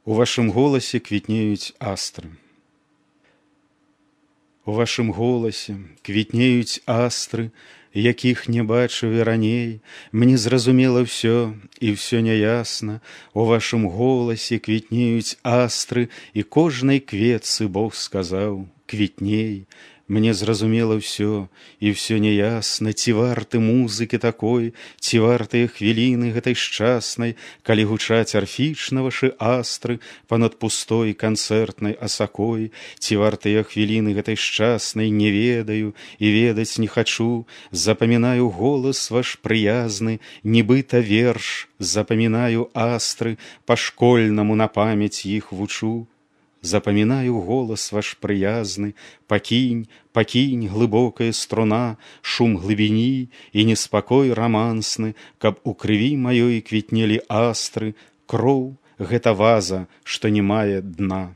У вашым голасе квітнеюць астры. У вашым голасе квітнеюць астры, якіх не бачыў я раней. Мне зразумела ўсё, і ўсё няясна. У вашым голасе квітнеюць астры, і кожнай кветцы Бог сказаў: квітней. Мне зразумела ўсё, і ўсё няясна. Ці варты музыкі такой, ці вартыя хвіліны гэтай шчаснай, калі гучаць арфічна вашы астры панад пустой канцэртнай асакой. Ці вартыя хвіліны гэтай шчаснай, не ведаю і ведаць не хачу. Запамінаю голас ваш прыязны, нібыта верш. Запамінаю астры, па-школьнаму на памяць іх вучу. Запамінаю голас ваш прыязны, пакінь, пакінь, глыбокая струна, шум глыбіні і неспакой рамансны, каб у крыві маёй квітнелі астры. Кроў — гэта ваза, што не мае дна.